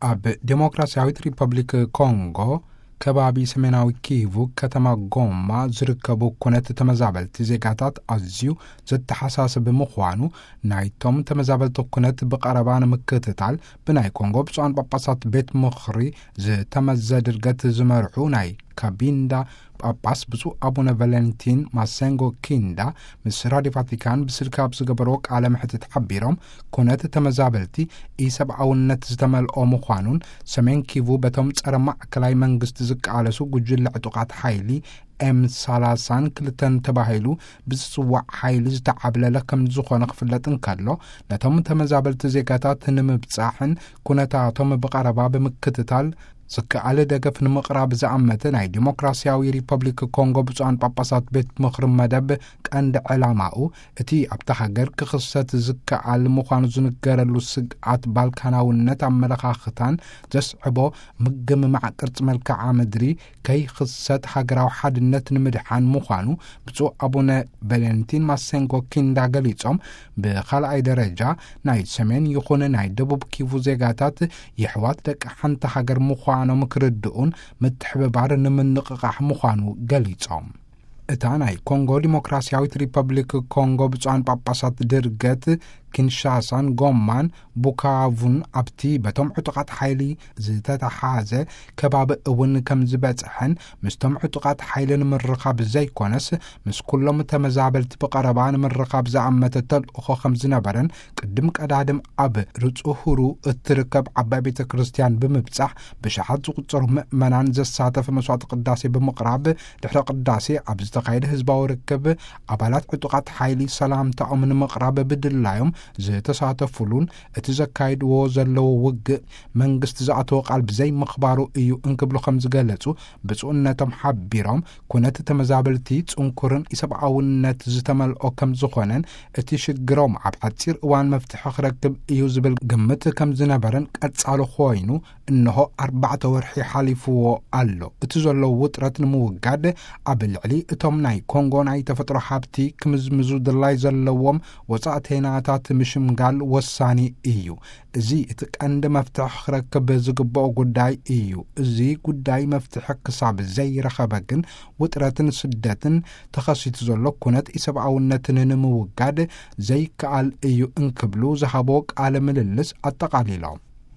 ኣብ ዴሞክራሲያዊት ሪፐብሊክ ኮንጎ ከባቢ ሰሜናዊ ኪቩ ከተማ ጎማ ዝርከቡ ኩነት ተመዛበልቲ ዜጋታት ኣዝዩ ዘተሓሳስብ ምዃኑ፣ ናይቶም ተመዛበልቲ ኩነት ብቐረባ ንምክትታል ብናይ ኮንጎ ብፁዓን ጳጳሳት ቤት ምኽሪ ዝተመዘ ድርገት ዝመርሑ ናይ ካቢንዳ ጳጳስ ብፁዕ ኣቡነ ቫለንቲን ማሴንጎ ኪንዳ ምስ ራዲዮ ቫቲካን ብስልኪ ኣብ ዝገበርዎ ቃለ መሕትት ሓቢሮም፣ ኩነት ተመዛበልቲ ኢሰብኣውነት ዝተመልኦ ምዃኑን፣ ሰሜን ኪቩ በቶም ጸረ ማእከላይ መንግስቲ ዝቃለሱ ጉጅለ ዕጡቓት ሓይሊ ኤም ሰላሳን ክልተን ተባሂሉ ብዝጽዋዕ ሓይሊ ዝተዓብለለ ከም ዝኾነ ክፍለጥ እንከሎ፣ ነቶም ተመዛበልቲ ዜጋታት ንምብጻሕን ኩነታቶም ብቐረባ ብምክትታል ዝከኣል ደገፍ ንምቕራብ ዝኣመተ ናይ ዲሞክራሲያዊ ሪፐብሊክ ኮንጎ ብፁዓን ጳጳሳት ቤት ምኽሪ መደብ ቀንዲ ዕላማኡ፣ እቲ ኣብታ ሃገር ክኽሰት ዝከኣል ምዃኑ ዝንገረሉ ስግኣት ባልካናውነት ኣመለኻኽታን ዘስዕቦ ምግምማዕ ቅርጺ መልክዓ ምድሪ ከይኽሰት ሃገራዊ ሓድነት ንምድሓን ምዃኑ ብፁዕ ኣቡነ ቫለንቲን ማሴንጎ ኪንዳ ገሊጾም፣ ብኻልኣይ ደረጃ ናይ ሰሜን ይኹን ናይ ደቡብ ኪቩ ዜጋታት የሕዋት ደቂ ሓንቲ ሃገር ምዃኖም ክርድኡን ምትሕብባር ንምንቕቓሕ ምዃኑ ገሊጾም። እታ ናይ ኮንጎ ዲሞክራሲያዊት ሪፐብሊክ ኮንጎ ብፁዓን ጳጳሳት ድርገት ኪንሻሳን ጎማን ቡካቩን ኣብቲ በቶም ዕጡቓት ሓይሊ ዝተተሓዘ ከባቢ እውን ከም ዝበጽሐን፣ ምስቶም ዕጡቓት ሓይሊ ንምርኻብ ዘይኮነስ፣ ምስ ኩሎም ተመዛበልቲ ብቐረባ ንምርኻብ ዝኣመተ ተልእኾ ከም ዝነበረን፣ ቅድም ቀዳድም ኣብ ርጹሁሩ እትርከብ ዓባይ ቤተ ክርስቲያን ብምብጻሕ ብሽሓት ዝቑጸሩ ምእመናን ዘሳተፈ መስዋዕቲ ቅዳሴ ብምቕራብ፣ ድሕሪ ቅዳሴ ኣብ ዝተኻየደ ህዝባዊ ርክብ ኣባላት ዕጡቓት ሓይሊ ሰላምታኦም ንምቕራብ ብድላዮም ዝተሳተፉሉን፣ እቲ ዘካይድዎ ዘለዉ ውግእ መንግስቲ ዝኣተወ ቃል ብዘይ ምኽባሩ እዩ እንክብሉ ከም ዝገለጹ ብፁዕነቶም ሓቢሮም፣ ኩነት ተመዛበልቲ ጽንኩርን ኢሰብኣውነት ዝተመልኦ ከም ዝኾነን፣ እቲ ሽግሮም ኣብ ሓጺር እዋን መፍትሒ ክረክብ እዩ ዝብል ግምት ከም ዝነበረን ቀጻሊ ኮይኑ፣ እንሆ ኣርባዕተ ወርሒ ሓሊፍዎ ኣሎ። እቲ ዘሎ ውጥረት ንምውጋድ፣ ኣብ ልዕሊ እቶም ናይ ኮንጎ ናይ ተፈጥሮ ሃብቲ ክምዝምዙ ድላይ ዘለዎም ወጻእተይናታት ምሽምጋል ወሳኒ እዩ። እዚ እቲ ቀንዲ መፍትሒ ክረክብ ዝግብኦ ጉዳይ እዩ። እዚ ጉዳይ መፍትሒ ክሳብ ዘይረኸበ ግን፣ ውጥረትን ስደትን ተኸሲቱ ዘሎ ኩነት ኢሰብኣውነትን ንምውጋድ ዘይከኣል እዩ እንክብሉ ዝሃቦ ቃለ ምልልስ ኣጠቓሊሎም።